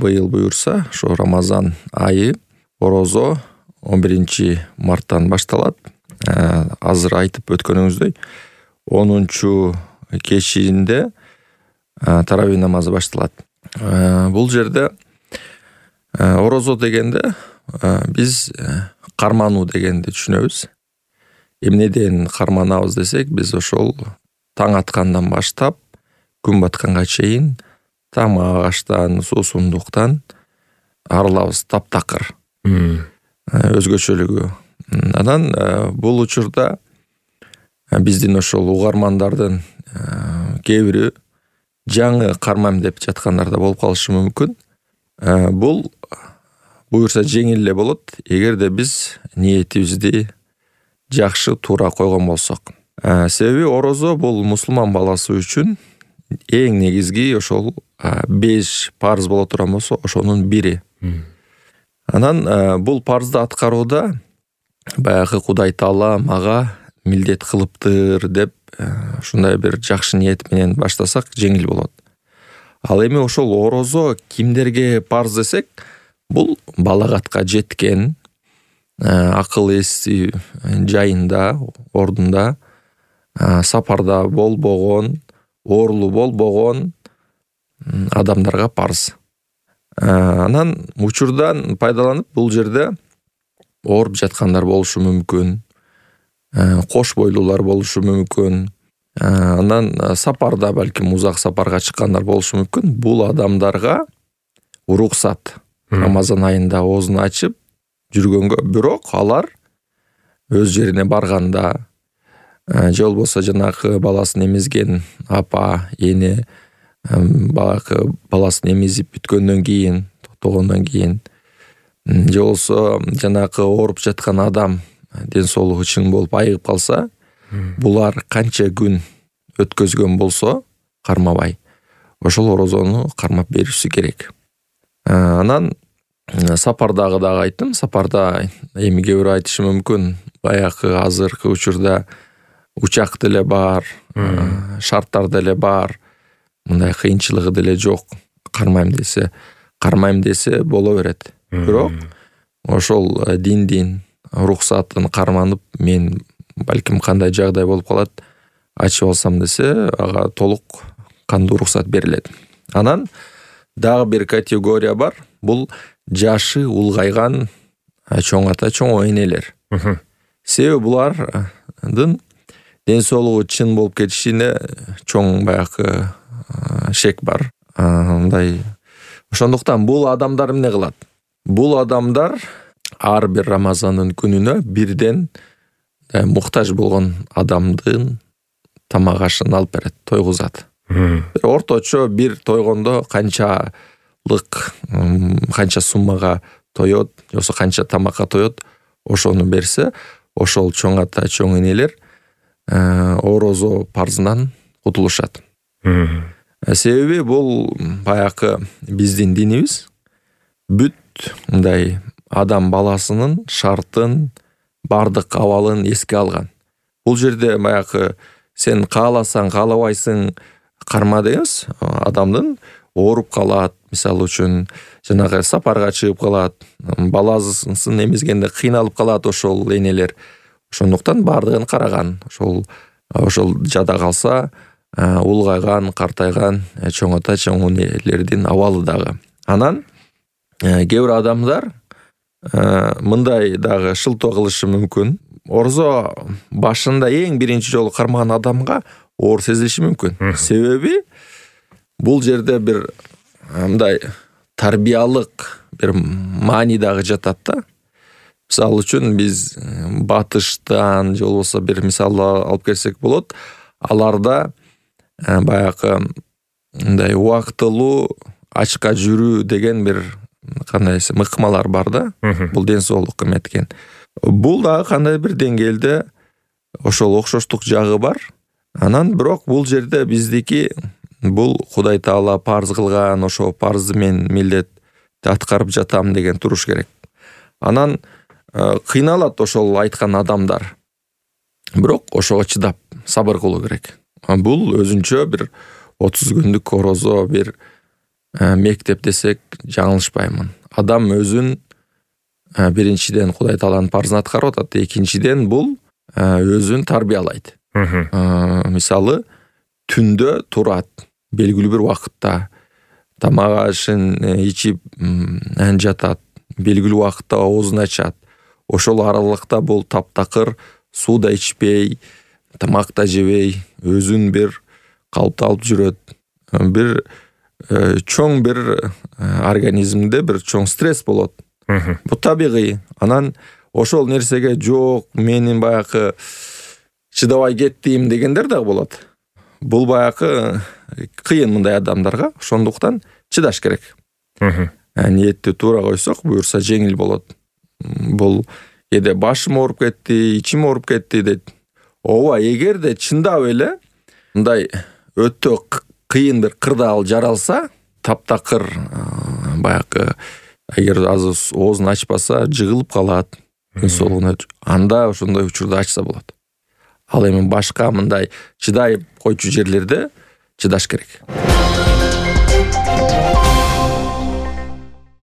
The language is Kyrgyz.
быйыл буюрса ошо Рамазан айы орозо 11-марттан башталат. Азыр айтып өткөнүңүздөй 10 кечинде таравih намазы башталат. Бул жерде орозо дегенде биз кармануу дегенди түшүнөбүз. Эмнеден карманабыз десек, биз ошол таң аткандан баштап күн батканга чейин тамак аштан, суусундуктан арылабыз таптакыр. Өзгөчөлүгү. Анан бул учурда биздин ошол угармандардын кээ бири жаңы кармайм деп жаткандар да болуп калышы мүмкүн. Бул буюрса жеңил эле болот, эгерде биз ниетибизди жакшы туура койгон болсок. Себеби орозо бул мусулман баласы үчүн эң негизги ошол 5 парыз боло турган болсо, ошонун бири. Анан бул парызды аткарууда баягы Кудай Таала мага милдет кылыптыр деп ушундай бир жакшы ниет менен баштасак жеңил болот. Ал эми ошол орозо кимдерге парыз десек, бул балагатка жеткен, акыл эси жайында, ордунда, сапарда болбогон, оорулуу болбогон адамдарга парыз. Анан учурдан пайдаланып бул жерде ооруп жаткандар болушу мүмкүн, кош бойлуулар болушу мүмкүн, анан сапарда балким узак сапарга чыккандар болушу мүмкүн. Бул адамдарга уруксат Рамазан айында оозун ачып жүргөнгө, бирок алар өз жерине барганда же болбосо жанагы баласын эмизген апа, эне баягы баласын эмизип бүткөндөн кийин, токтогондон кийин, же болбосо жанагы ооруп жаткан адам ден соолугу чың болуп айыгып калса, булар канча күн өткөзгөн болсо кармабай, ошол орозону кармап бериши керек. Анан сапардагы дагы айттым. Сапарда эми кээ бирөө айтышы мүмкүн, баягы азыркы учурда учак деле бар, шарттар деле бар, мындай кыйынчылыгы деле жок. Кармайм десе боло берет. Бирок ошол диндин уруксатын карманып, мен балким кандай жагдай болуп калат, ачып алсам десе, ага толук кандуу уруксат берилет. Анан дагы бир категория бар. Бул жашы улгайган чоң ата, чоң энелер. Себеби булардын ден соолугу чын болуп кетишине чоң баягы шек бар. Мындай. Ошондуктан бул адамдар эмне кылат? Бул адамдар ар бир Рамазандын күнүнө бирден муктаж болгон адамдын тамак ашын алып берет, тойгузат. Орточо бир тойгондо канча суммага тоет, же болбосо канча тамакка тоет, ошону берсе, ошол чоң ата, чоң энелер орозо парзынан кутулушат. Себеби бул баягы биздин динибиз бүт мындай адам баласынын шартын, бардык абалын эске алган. Бул жерде баягы сен кааласаң, каалабайсың карма дегенбиз. Адамдын ооруп калат, мисалы үчүн жанагы сапарга чыгып калат, баласын эмизгенде кыйналып калат ошол энелер. Ошондуктан бардыгын караган. Ошол жада калса, улгайган, картайган чоң ата, чоң энелердин абалы дагы. Анан кээ бир адамдар мындай дагы шылтоо кылышы мүмкүн. Орозо башында эң биринчи жолу кармаган адамга оор сезилиши мүмкүн. Себеби бул жерде бир мындай тарбиялык бир маани дагы жатат да. Мисалы үчүн биз батыштан же болбосо бир мисал алып келсек болот. Аларда баягы мындай убактылуу ачка жүрүү деген бир кандай мыкмалар бар да. Бул ден соолукка эметкен. Бул дагы кандай бир деңгээлде ошол окшоштук жагы бар. Анан бирок бул жерде биздики бул Кудай Таала парз кылган, ошо парзды мен милдетти аткарып жатам деген туруш керек. Анан кыйналат ошол айткан адамдар. Бирок ошого чыдап сабыр кылуу керек. Бул өзүнчө бир 30 күндүк орозо, бир мектеп десек жаңылышпаймын. Адам өзүн биринчиден Кудай Тааланын парзын аткарып атат, экинчиден бул өзүн тарбиялайт. Мисалы, түндө турат, белгилүү бир убакытта тамак ашын ичип жатат, белгилүү убакытта оозун ачат. Ошол аралыкта бул таптакыр суу да ичпей, тамак да жебей, өзүн бир калыпта алып жүрөт. Бир чоң бир организмде бир чоң стресс болот. Бул табигый. Анан ошол нерсеге жок, менин баягы чыдабай кеттим дегендер дагы болот. Бул баягы кыйын мындай адамдарга, ошондуктан чыдаш керек. Ниетти туура койсок, буюрса жеңил болот. Бул кээде башым ооруп кетти, ичим ооруп кетти дейт. Ооба, эгерде чындап эле мындай өтө кыйын бир кырдаал жаралса, таптакыр баягы эгер азыр оозун ачпаса, жыгылып калат, солуна, анда ошондой учурда ачса болот. Ал эми башка мындай чыдай койчу жерлерде чыдаш керек.